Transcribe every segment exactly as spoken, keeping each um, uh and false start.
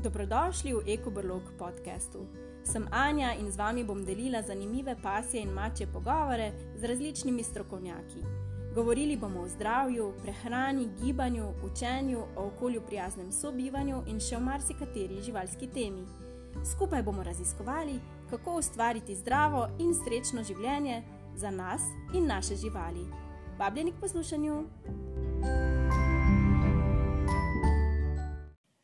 Dobrodošli v Ekobrlog podcastu. Sem Anja in z vami bom delila zanimive pasje in mačje pogovore z različnimi strokovnjaki. Govorili bomo o zdravju, prehrani, gibanju, učenju, o okolju prijaznem sobivanju in še o marsikateri živalski temi. Skupaj bomo raziskovali, kako ustvariti zdravo in srečno življenje za nas in naše živali. Vabljeni k poslušanju!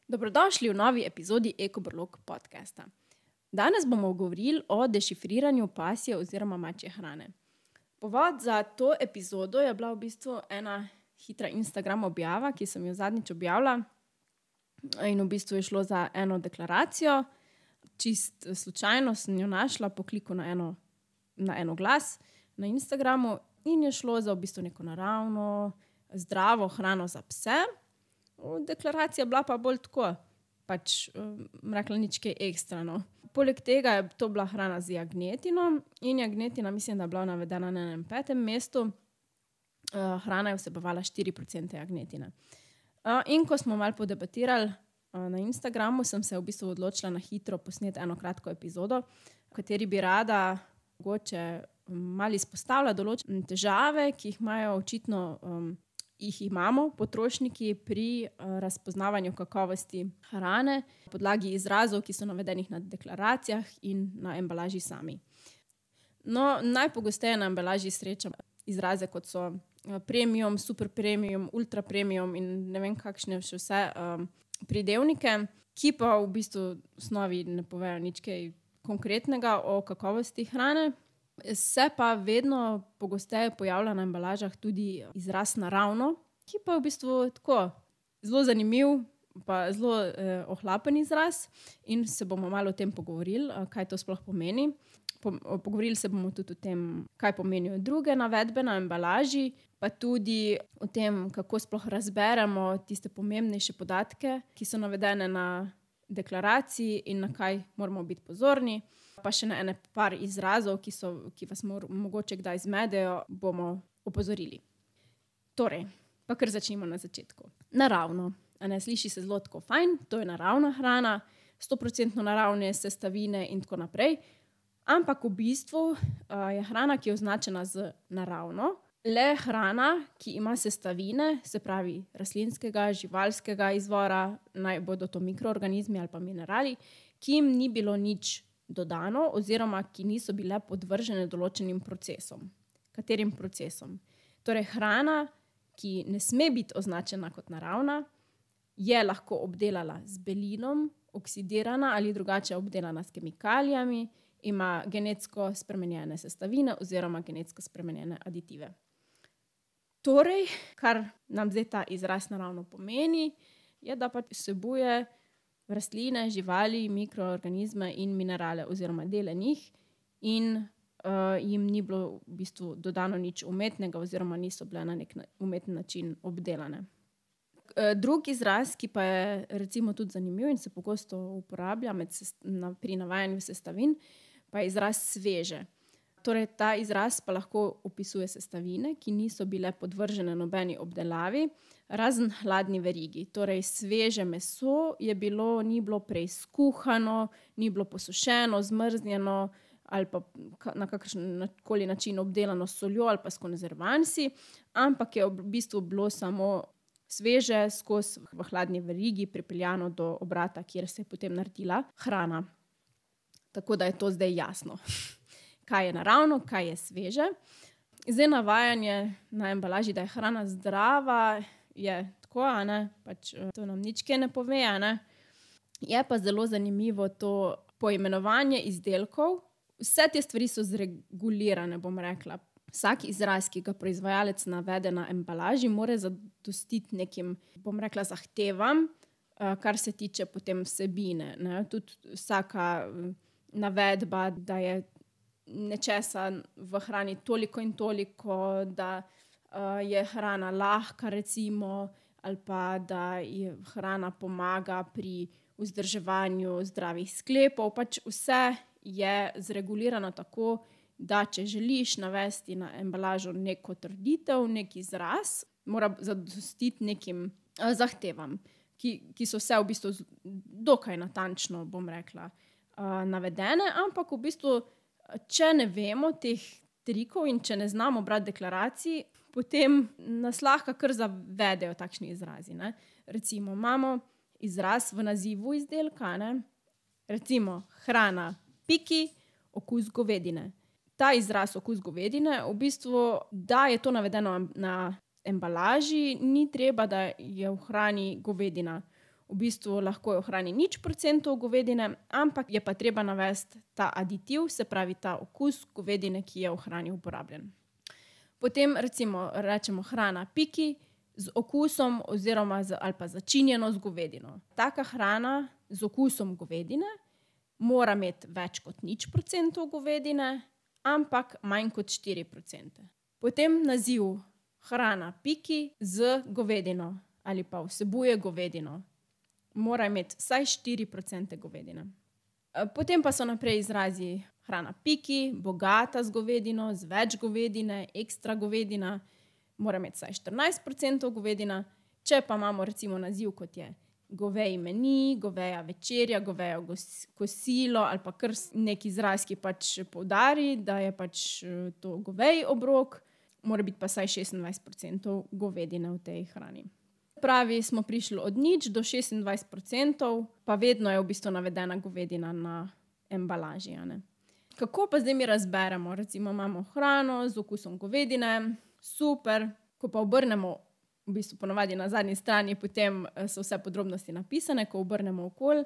Dobrodošli v novi epizodi Ekobrlog podcasta. Danes bomo govorili o dešifriranju pasje oziroma mačje hrane. Povod za to epizodo je bila v bistvu ena hitra Instagram objava, ki sem jo zadnjič objavila. In v bistvu je šlo za eno deklaracijo. Čist slučajno sem jo našla po kliku na eno, na eno glas na Instagramu in je šlo za v bistvu neko naravno, zdravo hrano za pse. Deklaracija bila pa bolj tako, pač rekla nič kaj ekstra. No. Poleg tega je to bila hrana z jagnetino in jagnetina mislim, da je bila navedena na enem petem mestu. Hrana je vsebovala štiri procente jagnetine. In ko smo malo podebatirali na Instagramu, sem se v bistvu odločila na hitro posneti eno kratko epizodo, v kateri bi rada mogoče malo izpostavila določene težave, ki jih imajo očitno um, jih imamo potrošniki pri uh, razpoznavanju kakovosti hrane na podlagi izrazov, ki so navedenih na deklaracijah in na embalaži sami. No, najpogosteje na embalaži srečam izraze, kot so uh, premium, super premium, ultra premium in ne vem kakšne še vse um, pridevnike, ki pa v bistvu v osnovi ne povejo nič kaj konkretnega o kakovosti hrane. Se pa vedno pogosteje pojavlja na embalažah tudi izraz naravno, ki pa je v bistvu tako zelo zanimiv, pa zelo eh, ohlapen izraz in se bomo malo o tem pogovorili, kaj to sploh pomeni. Po, pogovorili se bomo tudi o tem, kaj pomenijo druge navedbe na embalaži, pa tudi o tem, kako sploh razberemo tiste pomembnejše podatke, ki so navedene na deklaraciji in na kaj moramo biti pozorni. Pa še na ene par izrazov, ki, so, ki vas mor, mogoče kdaj zmedejo, bomo opozorili. Torej, pa kar začnimo na začetku. Naravno. A ne, sliši se zelo tako fajn, to je naravna hrana, sto procentno naravne sestavine in tako naprej. Ampak v bistvu uh, je hrana, ki je označena z naravno, le hrana, ki ima sestavine, se pravi rastlinskega, živalskega izvora, naj bodo to mikroorganizmi ali pa minerali, ki jim ni bilo nič dodano oziroma ki niso bile podvržene določenim procesom. Katerim procesom? Torej, hrana, ki ne sme biti označena kot naravna, je lahko obdelana z belinom, oksidirana ali drugače obdelana s kemikalijami, ima genetsko spremenjene sestavine oziroma genetsko spremenjene aditive. Torej, kar nam zdaj ta izraz naravno pomeni, je, da pač vsebuje rastline, živali, mikroorganizme in minerale oziroma dele njih in uh, jim ni bilo v bistvu dodano nič umetnega oziroma niso bile na nek umeten način obdelane. Uh, drug izraz, ki pa je recimo tudi zanimiv in se pogosto uporablja med sest- na, pri navajanju sestavin, pa je izraz sveže. Torej, ta izraz pa lahko opisuje sestavine, ki niso bile podvržene nobeni obdelavi, razen hladni verigi. Torej, sveže meso je bilo, ni bilo prej skuhano, ni bilo posušeno, zmrznjeno ali pa na kakršen koli način obdelano s soljo ali pa s konzervansi, ampak je v bistvu bilo samo sveže skozi v hladni verigi pripeljano do obrata, kjer se je potem naredila hrana. Tako da je to zdaj jasno. Kaj je naravno, kaj je sveže. Zdaj navajanje na embalaži, da je hrana zdrava, je tako, a ne, pač to nam nič kaj ne pove, a ne. Je pa zelo zanimivo to poimenovanje izdelkov. Vse te stvari so zregulirane, bom rekla. Vsak izraz, ki ga proizvajalec navede na embalaži, mora zadostiti nekim, bom rekla, zahtevam, kar se tiče potem vsebine, ne. Tudi vsaka navedba, da je nečesa v hrani toliko in toliko, da uh, je hrana lahka recimo, ali pa da je hrana pomaga pri vzdrževanju zdravih sklepov. Pač vse je zregulirano tako, da če želiš navesti na embalažo neko trditev, nek izraz, mora zadostiti nekim uh, zahtevam. ki, ki so vse v bistvu dokaj natančno, bom rekla, uh, navedene, ampak v bistvu, če ne vemo teh trikov in če ne znamo brati deklaracij, potem nas lahko kar zavedejo takšni izrazi. Ne? Recimo, imamo izraz v nazivu izdelka, ne? Recimo hrana piki, okus govedine. Ta izraz okus govedine, v bistvu, da je to navedeno na embalaži, ni treba, da je v hrani govedina. V bistvu lahko je v hrani nič procentov govedine, ampak je pa treba navesti ta aditiv, se pravi ta okus govedine, ki je v hrani uporabljen. Potem recimo rečemo hrana piki z okusom oziroma z, ali pa začinjeno z govedino. Taka hrana z okusom govedine mora imeti več kot nič procentov govedine, ampak manj kot štiri procente. Potem naziv hrana piki z govedino ali pa vsebuje govedino. Mora imeti vsaj štiri procente govedine. Potem pa so naprej izrazi hrana piki, bogata z govedino, z več govedine, ekstra govedina, mora imeti vsaj štirinajst procentov govedina. Če pa imamo recimo naziv, kot je goveji meni, goveja večerja, goveja kosilo ali pa kar nek izraz, ki pač poudari, da je pač to goveji obrok, mora biti pa vsaj šestindvajset procentov govedine v tej hrani. Pravi, smo prišli od nič do šestindvajset procentov, pa vedno je v bistvu navedena govedina na embalaži. A ne? Kako pa zdaj mi razberemo? Recimo imamo hrano z okusom govedine, super, ko pa obrnemo, v bistvu ponovadi na zadnji strani, potem so vse podrobnosti napisane, ko obrnemo okoli,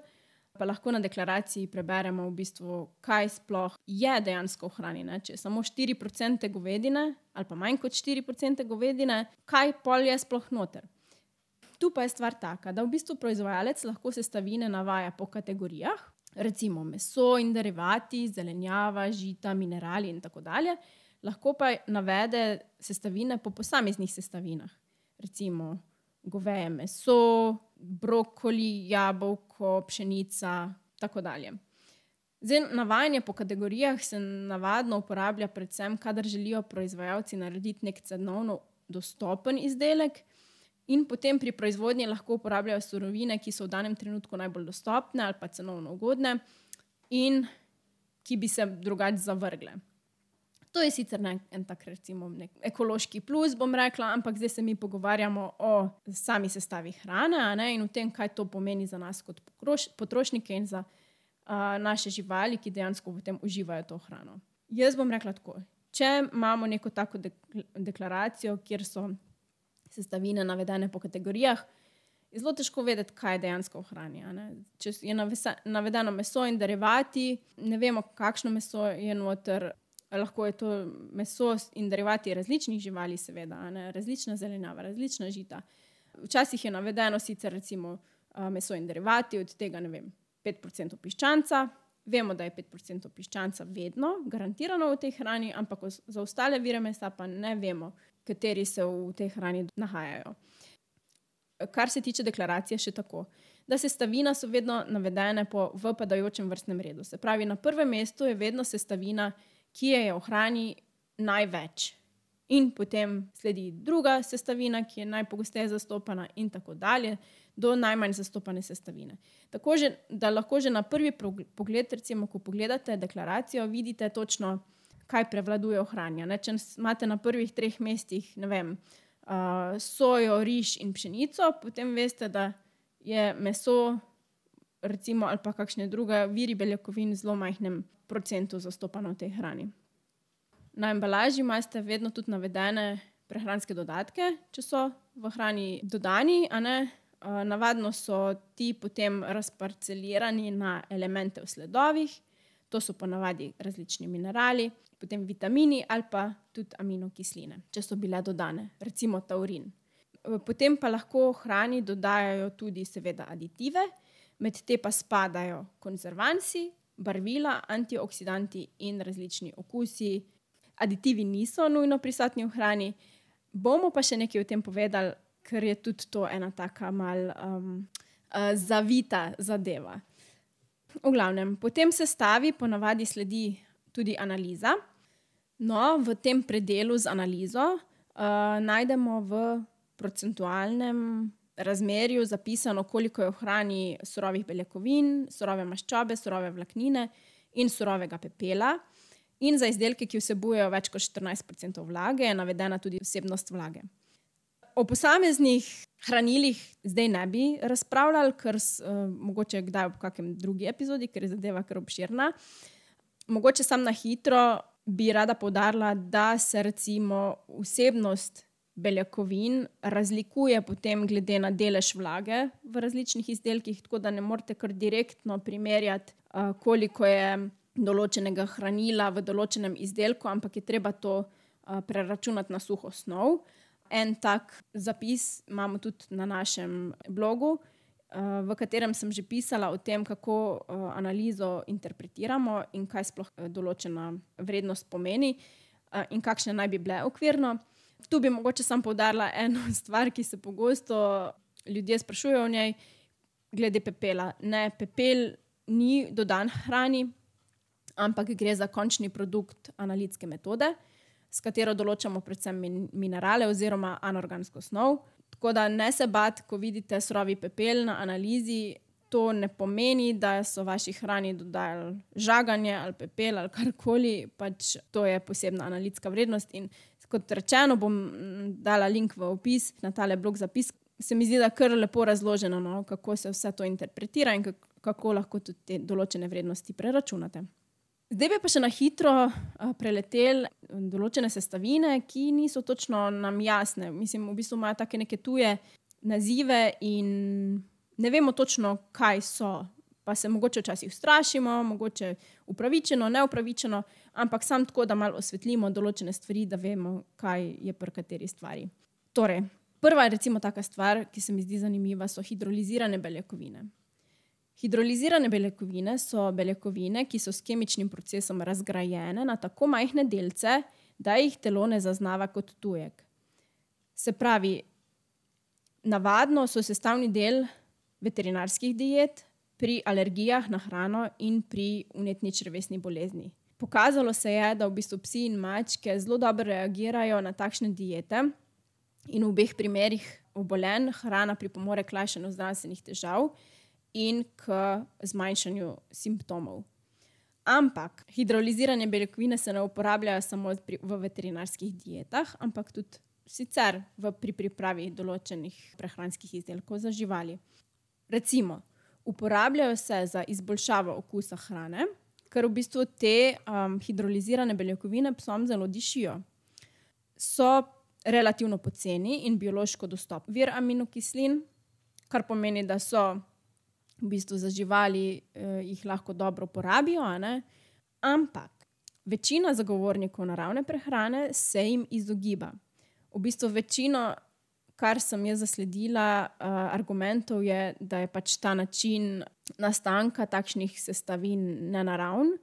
pa lahko na deklaraciji preberemo v bistvu, kaj sploh je dejansko v hrani. Ne? Če je samo štiri procente govedine ali pa manj kot štiri procente govedine, kaj pol je sploh noter? Tu pa je stvar taka, da v bistvu proizvajalec lahko sestavine navaja po kategorijah, recimo meso in derivati, zelenjava, žita, minerali in tako dalje. Lahko pa navede sestavine po posameznih sestavinah. Recimo goveje meso, brokoli, jabolko, pšenica, tako dalje. Zdaj, navajanje po kategorijah se navadno uporablja predvsem, kadar želijo proizvajalci narediti nek cenovno dostopen izdelek, in potem pri proizvodnji lahko uporabljajo surovine, ki so v danem trenutku najbolj dostopne ali pa cenovno ugodne in ki bi se drugače zavrgle. To je sicer nek, en tak recimo nek ekološki plus, bom rekla, ampak zdaj se mi pogovarjamo o sami sestavi hrane, a ne, in o tem, kaj to pomeni za nas kot potrošnike in za uh, naše živali, ki dejansko potem uživajo to hrano. Jaz bom rekla tako, če imamo neko tako deklaracijo, kjer so sestavine navedene po kategorijah, je zelo težko vedeti, kaj je dejansko v hrani. A ne? Če je navedeno meso in derivati, ne vemo, kakšno meso je noter, lahko je to meso in derivati različnih živali, seveda, a ne? Različna zelenjava, različna žita. Včasih je navedeno sicer recimo meso in derivati, od tega, ne vem, pet procentov piščanca. Vemo, da je pet procentov piščanca vedno garantirano v tej hrani, ampak za ostale vire mesa pa ne vemo, kateri se v tej hrani nahajajo. Kar se tiče deklaracije, še tako, da sestavina so vedno navedene po v padajočem vrstnem redu. Se pravi, na prvem mestu je vedno sestavina, ki je v hrani največ. In potem sledi druga sestavina, ki je najpogosteje zastopana in tako dalje, do najmanj zastopane sestavine. Tako, že, da lahko že na prvi pogled, recimo, ko pogledate deklaracijo, vidite točno, kaj prevladuje v hrani. Ne? Če imate na prvih treh mestih, ne vem, uh, sojo, riž in pšenico, potem veste, da je meso, recimo, ali pa kakšne druge viri beljakovin v zelo majhnem procentu zastopano v tej hrani. Na embalaži imate vedno tudi navedene prehranske dodatke, če so v hrani dodani, a ne? Uh, navadno so ti potem razparcelirani na elemente v sledovih, to so ponavadi različni minerali, potem vitamini ali pa tudi aminokisline, če so bile dodane, recimo taurin. Potem pa lahko hrani dodajajo tudi seveda aditive, med te pa spadajo konzervansi, barvila, antioksidanti in različni okusi. Aditivi niso nujno prisotni v hrani. Bomo pa še nekaj o tem povedali, ker je tudi to ena taka mal um, uh, zavita zadeva. V glavnem, potem sestavi ponavadi sledi tudi analiza. No, v tem predelu z analizo uh, najdemo v procentualnem razmerju zapisano, koliko je v hrani surovih beljakovin, surove maščobe, surove vlaknine in surovega pepela. In za izdelke, ki vsebujejo več kot štirinajst procentov vlage, je navedena tudi vsebnost vlage. O posameznih hranilih zdaj ne bi razpravljali, ker uh, mogoče kdaj v kakem drugi epizodi, ker je zadeva kar obširna. Mogoče sam na hitro bi rada poudarila, da se recimo vsebnost beljakovin razlikuje potem glede na delež vlage v različnih izdelkih, tako da ne morete kar direktno primerjati, uh, koliko je določenega hranila v določenem izdelku, ampak je treba to uh, preračunati na suho snov. En tak zapis imamo tudi na našem blogu, uh, v katerem sem že pisala o tem, kako uh, analizo interpretiramo in kaj sploh določena vrednost pomeni uh, in kakšne naj bi bile okvirno. Tu bi mogoče sam poudarila eno stvar, ki se pogosto ljudje sprašujejo o njej, glede pepela. Ne, pepel ni dodan hrani, ampak gre za končni produkt analitske metode, s katero določamo predvsem min- minerale oziroma anorgansko snov. Tako da ne se bati, ko vidite surovi pepel na analizi, to ne pomeni, da so vaši hrani dodajali žaganje ali pepel ali karkoli, pač to je posebna analitska vrednost in kot rečeno, bom dala link v opis na tale blog zapis. Se mi zdi, da kar lepo razloženo, no, kako se vse to interpretira in kako lahko tudi te določene vrednosti preračunate. Zdaj bi pa še na hitro preleteli določene sestavine, ki niso točno nam jasne. Mislim, v bistvu imajo take neke tuje nazive in ne vemo točno, kaj so. Pa se mogoče včasih ustrašimo, mogoče upravičeno, neupravičeno, ampak sam tako, da malo osvetlimo določene stvari, da vemo, kaj je pri kateri stvari. Torej, prva je recimo taka stvar, ki se mi zdi zanimiva, so hidrolizirane beljakovine. Hidrolizirane beljakovine so beljakovine, ki so s kemičnim procesom razgrajene na tako majhne delce, da jih telo ne zaznava kot tujek. Se pravi, navadno so sestavni del veterinarskih diet, pri alergijah na hrano in pri vnetni črevesni bolezni. Pokazalo se je, da v bistvu psi in mačke zelo dobro reagirajo na takšne diete in v obeh primerih obolenj hrana pripomore k lajšanju zdravstvenih težav in k zmanjšanju simptomov. Ampak hidrolizirane beljakovine se ne uporabljajo samo pri, v veterinarskih dietah, ampak tudi sicer v, pri pripravi določenih prehranskih izdelkov za živali. Recimo, uporabljajo se za izboljšavo okusa hrane, ker v bistvu te um, hidrolizirane beljakovine psom zelo dišijo. So relativno poceni in biološko dostopni vir aminokislin, kar pomeni, da so v bistvu za živali eh, jih lahko dobro porabijo, a ne? Ampak večina zagovornikov naravne prehrane se jim izogiba. V bistvu večino, kar sem jaz zasledila, uh, argumentov je, da je pač ta način nastanka takšnih sestavin nenaravn.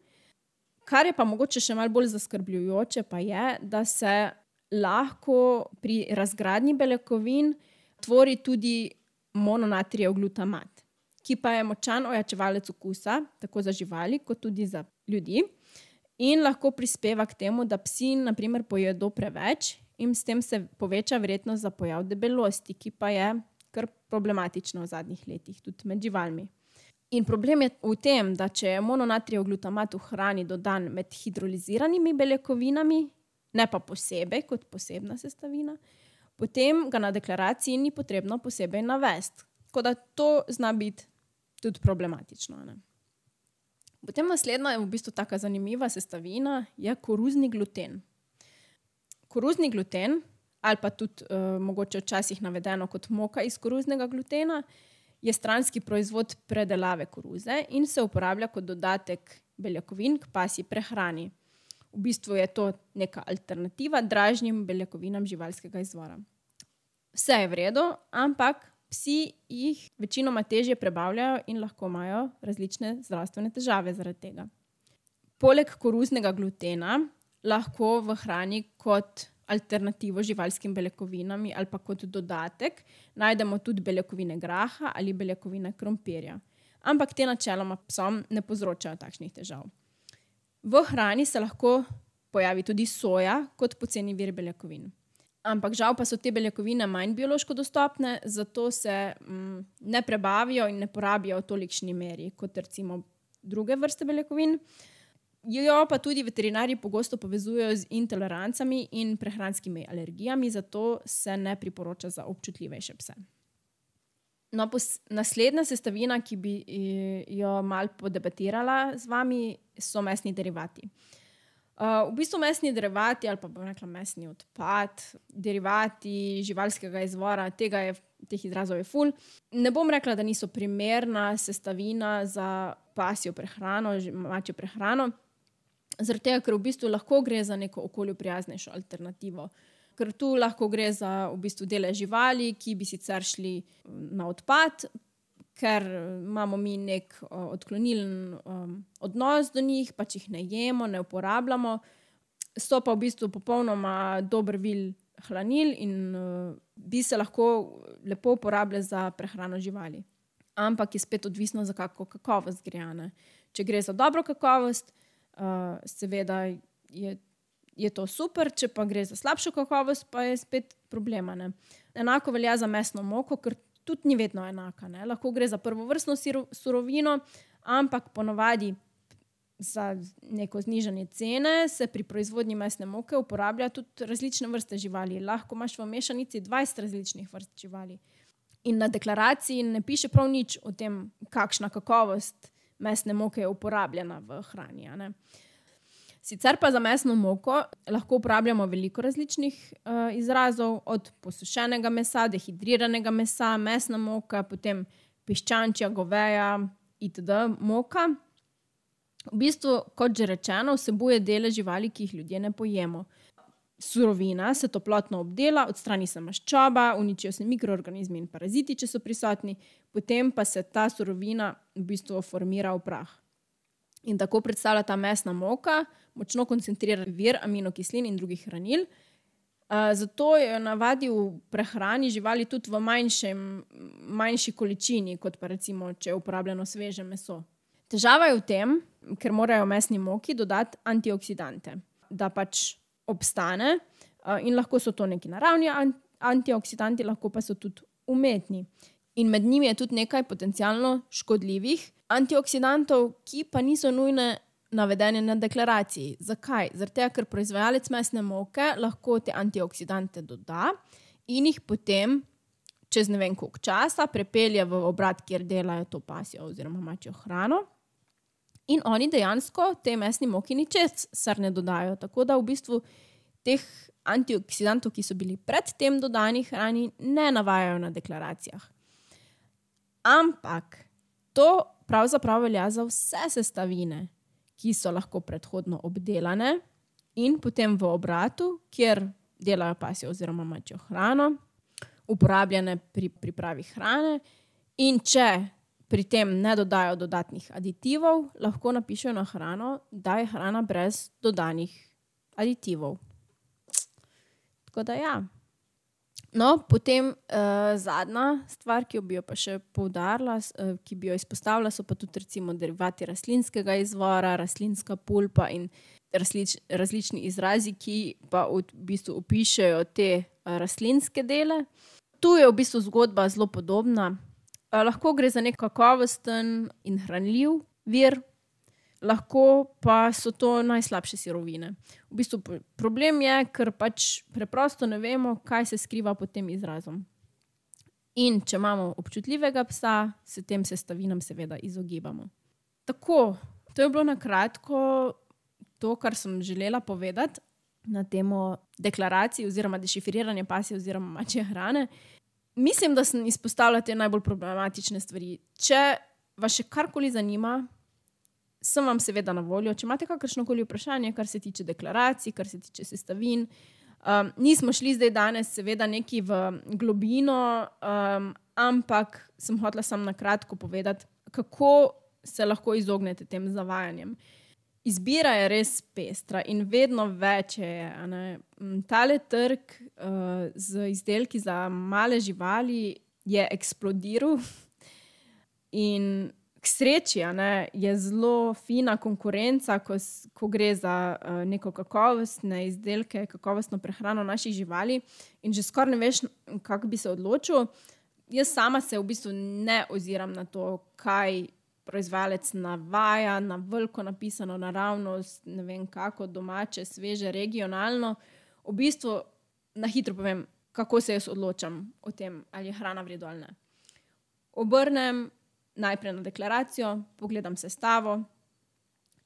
Kar je pa mogoče še malo bolj zaskrbljujoče, pa je, da se lahko pri razgradnji beljakovin tvori tudi mononatrijev glutamat, ki pa je močan ojačevalec okusa, tako za živali, kot tudi za ljudi, in lahko prispeva k temu, da psi na primer pojedo preveč in s tem se poveča verjetnost za pojav debelosti, ki pa je kar problematična v zadnjih letih, tudi med živalmi. In problem je v tem, da če je mononatrijev glutamat v hrani dodan med hidroliziranimi beljakovinami, ne pa posebej kot posebna sestavina, potem ga na deklaraciji ni potrebno posebej navesti. Tako da to zna biti tudi problematično, ne? Potem naslednja je v bistvu taka zanimiva sestavina, je koruzni gluten. Koruzni gluten, ali pa tudi uh, mogoče včasih navedeno kot moka iz koruznega glutena, je stranski proizvod predelave koruze in se uporablja kot dodatek beljakovin k pasji prehrani. V bistvu je to neka alternativa dražnim beljakovinam živalskega izvora. Vse je v redu, ampak psi jih večinoma težje prebavljajo in lahko imajo različne zdravstvene težave zaradi tega. Poleg koruznega glutena lahko v hrani kot alternativo živalskim beljakovinami ali pa kot dodatek najdemo tudi beljakovine graha ali beljakovine krompirja. Ampak te načeloma psom ne povzročajo takšnih težav. V hrani se lahko pojavi tudi soja kot poceni vir beljakovin. Ampak žal pa so te beljakovine manj biološko dostopne, zato se mm, ne prebavijo in ne porabijo v tolikšni meri kot recimo druge vrste beljakovin. Jo pa tudi veterinarji pogosto povezujejo z intolerancami in prehranskimi alergijami, zato se ne priporoča za občutljivejše pse. No, pos- naslednja sestavina, ki bi jo malo podebatirala z vami, so mesni derivati. Uh, v bistvu mesni derivati, ali pa bom rekla mesni odpad, derivati živalskega izvora, tega je, teh izrazov je ful. Ne bom rekla, da niso primerna sestavina za pasjo prehrano, mačjo prehrano, zaradi tega, ker v bistvu lahko gre za neko okolju prijaznejšo alternativo. Ker tu lahko gre za v bistvu dele živali, ki bi sicer šli na odpad, ker imamo mi nek uh, odklonilen um, odnos do njih, pač jih ne jemo, ne uporabljamo. So pa v bistvu popolnoma dober vil hranil in uh, bi se lahko lepo uporabljali za prehrano živali. Ampak je spet odvisno, za kako kakovost gre. Ne? Če gre za dobro kakovost, uh, seveda je je to super, če pa gre za slabšo kakovost, pa je spet problema. Ne? Enako velja za mesno moko, ker tudi ni vedno enaka. Ne? Lahko gre za prvovrstno surovino, ampak ponavadi za neko znižanje cene se pri proizvodnji mesne moke uporablja tudi različne vrste živali. Lahko imaš v mešanici dvajset različnih vrst živali. In na deklaraciji ne piše prav nič o tem, kakšna kakovost mesne moke je uporabljena v hrani. A ne? Sicer pa za mesno moko lahko uporabljamo veliko različnih uh, izrazov, od posušenega mesa, dehidriranega mesa, mesna moka, potem piščančja, goveja itd. Moka. V bistvu, kot že rečeno, vsebuje dele živali, ki jih ljudje ne pojemo. Surovina se toplotno obdela, odstrani se maščoba, uničijo se mikroorganizmi in paraziti, če so prisotni, potem pa se ta surovina v bistvu formira v prah. In tako predstavlja ta mesna moka močno koncentriran vir aminokislin in drugih hranil. Uh, zato je navadi v prehrani živali tudi v manjšem, manjši količini, kot pa recimo, če je uporabljeno sveže meso. Težava je v tem, ker morajo mesni moki dodati antioksidante, da pač obstane uh, in lahko so to neki naravni antioksidanti, lahko pa so tudi umetni. In med njimi je tudi nekaj potencialno škodljivih antioksidantov, ki pa niso nujne navedene na deklaraciji. Zakaj? Zaradi tega, ker proizvajalec mesne moke lahko te antioksidante doda in jih potem čez ne vem koliko časa prepelje v obrat, kjer delajo to pasjo oziroma mačjo hrano. In oni dejansko te mesni moki ničesar ne dodajo. Tako da v bistvu teh antioksidantov, ki so bili pred tem dodani hrani, ne navajajo na deklaracijah. Ampak to pravzaprav velja za vse sestavine, ki so lahko predhodno obdelane in potem v obratu, kjer delajo pasjo oziroma mačjo hrano, uporabljene pri pripravi hrane, in če pri tem ne dodajo dodatnih aditivov, lahko napišejo na hrano, da je hrana brez dodanih aditivov. Tako da ja. No, potem uh, zadnja stvar, ki bi jo pa še poudarila, uh, ki bi jo izpostavila, so pa tudi recimo derivati rastlinskega izvora, rastlinska pulpa in različ, različni izrazi, ki pa v bistvu opišejo te uh, rastlinske dele. Tu je v bistvu zgodba zelo podobna. Uh, lahko gre za nek kakovosten in hranljiv vir, lahko pa so to najslabše sirovine. V bistvu problem je, ker pač preprosto ne vemo, kaj se skriva pod tem izrazom. In če imamo občutljivega psa, se tem sestavinam seveda izogibamo. Tako, to je bilo na kratko to, kar sem želela povedati na temo deklaracij oziroma dešifriranja pasje oziroma mačje hrane. Mislim, da sem izpostavila te najbolj problematične stvari. Če vas še karkoli zanima, sem vam seveda na voljo. Če imate kakršnokoli vprašanje, kar se tiče deklaracij, kar se tiče sestavin. Um, nismo šli zdaj danes seveda neki v globino, um, ampak sem hotela samo na kratko povedati, kako se lahko izognete tem zavajanjem. Izbira je res pestra in vedno več je. A ne? Tale trg uh, z izdelki za male živali je eksplodiral in k sreči, a ne, je zelo fina konkurenca, ko, ko gre za uh, neko kakovostne izdelke, kakovostno prehrano naših živali in že skoraj ne veš, kako bi se odločil. Jaz sama se v bistvu ne oziram na to, kaj proizvajalec navaja, na veliko napisano, naravnost, ne vem kako, domače, sveže, regionalno. V bistvu na hitro povem, kako se jaz odločam o tem, ali je hrana v redu ali ne. Obrnem najprej na deklaracijo, pogledam sestavo.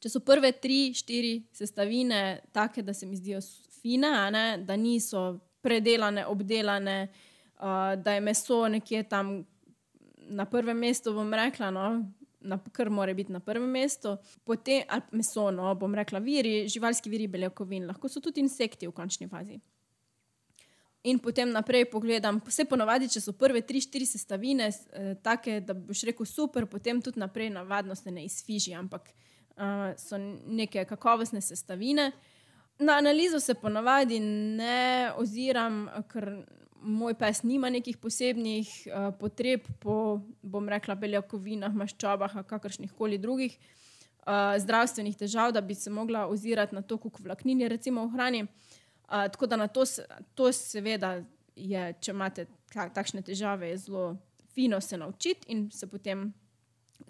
Če so prve tri, štiri sestavine take, da se mi zdijo fine, a ne, da niso predelane, obdelane, uh, da je meso nekje tam na prvem mestu, bom rekla, no, na, kar mora biti na prvem mestu. Potem, ali meso, no, bom rekla, viri, živalski viri beljakovin, lahko so tudi insekti v končni fazi. In potem naprej pogledam, vse ponovadi, če so prve tri, štiri sestavine eh, take, da boš rekel super, potem tudi naprej navadno se ne izfiži, ampak uh, so neke kakovostne sestavine. Na analizo se ponovadi ne oziram, ker moj pes nima nekih posebnih uh, potreb po, bom rekla, beljakovinah, maščobah, kakršnih koli drugih uh, zdravstvenih težav, da bi se mogla ozirati na to, koliko vlaknin je recimo v hrani. Uh, tako da na to, to seveda je, če imate takšne težave, je zelo fino se naučiti in se potem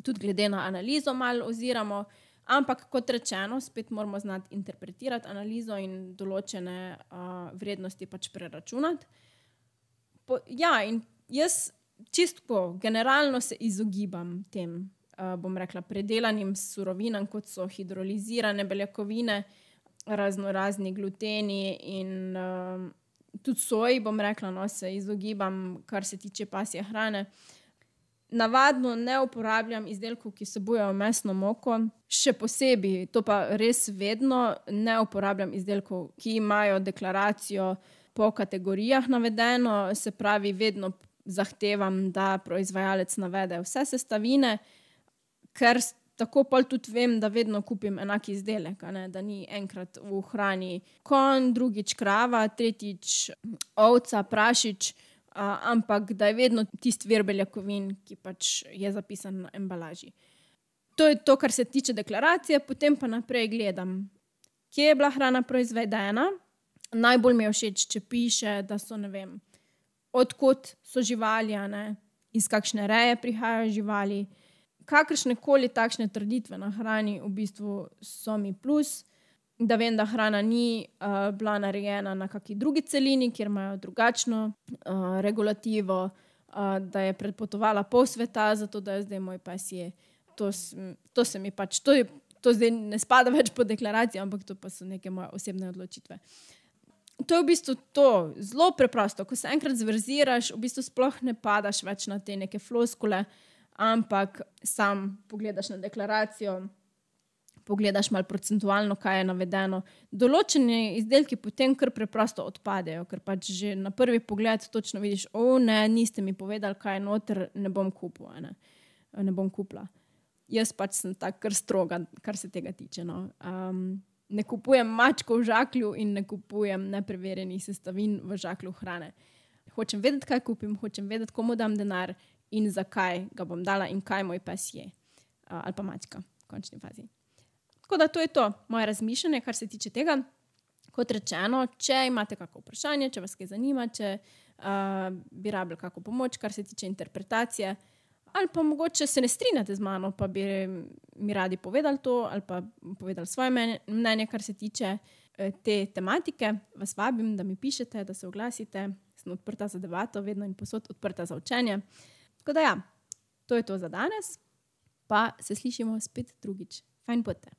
tudi glede na analizo malo oziramo, ampak kot rečeno, spet moramo znati interpretirati analizo in določene uh, vrednosti pač preračunati. Po, ja, in jaz čisto generalno se izogibam tem, uh, bom rekla, predelanim surovinam, kot so hidrolizirane beljakovine, razno razni gluteni in uh, tudi soji, bom rekla, no, se izogibam, kar se tiče pasje hrane. Navadno ne uporabljam izdelkov, ki vsebujejo mesno moko, še posebej, to pa res vedno, ne uporabljam izdelkov, ki imajo deklaracijo po kategorijah navedeno, se pravi, vedno zahtevam, da proizvajalec navede vse sestavine, ker tako pol tudi vem, da vedno kupim enak izdelek, a ne, da ni enkrat v hrani konj, drugič krava, tretjič ovca, prašič, a, ampak da je vedno tisti vir beljakovin, ki pač je zapisan na embalaži. To je to, kar se tiče deklaracije, potem pa naprej gledam, kje je bila hrana proizvedena. Najbolj mi je všeč, če piše, da so, ne vem, odkot so živali, a ne, iz kakšne reje prihajajo živali. Kakršne koli takšne trditve na hrani v bistvu so mi plus, da vem, da hrana ni uh, bila narejena na kakšni drugi celini, kjer imajo drugačno uh, regulativo, uh, da je prepotovala pol sveta, zato da je zdaj moj pes je. To, to se mi pač, to, je, to zdaj ne spada več po deklaraciji, ampak to pa so neke moje osebne odločitve. To je v bistvu to, zelo preprosto. Ko se enkrat zverziraš, v bistvu sploh ne padaš več na te neke floskule, ampak sam pogledaš na deklaracijo, pogledaš malo procentualno, kaj je navedeno. Določeni izdelki potem kar preprosto odpadejo, ker pač že na prvi pogled točno vidiš, o ne, niste mi povedali, kaj je noter, ne bom kupil, ne, ne bom kupila. Jaz pač sem tak kar stroga, kar se tega tiče. No. Um, ne kupujem mačkov v žaklju in ne kupujem nepreverjenih sestavin v žaklju hrane. Hočem vedeti, kaj kupim, hočem vedeti, komu dam denar, in zakaj ga bom dala in kaj moj pes je. Uh, ali pa mačka v končni fazi. Tako da to je to moje razmišljanje, kar se tiče tega. Kot rečeno, če imate kako vprašanje, če vas kaj zanima, če uh, bi rabili kako pomoč, kar se tiče interpretacije, ali pa mogoče se ne strinjate z mano, pa bi mi radi povedali to, ali pa povedali svoje mnenje, kar se tiče uh, te tematike, vas vabim, da mi pišete, da se oglasite. Sem odprta za debato, vedno in posod odprta za učenje. Tako da ja, to je to za danes, pa se slišimo spet drugič. Fajn pote.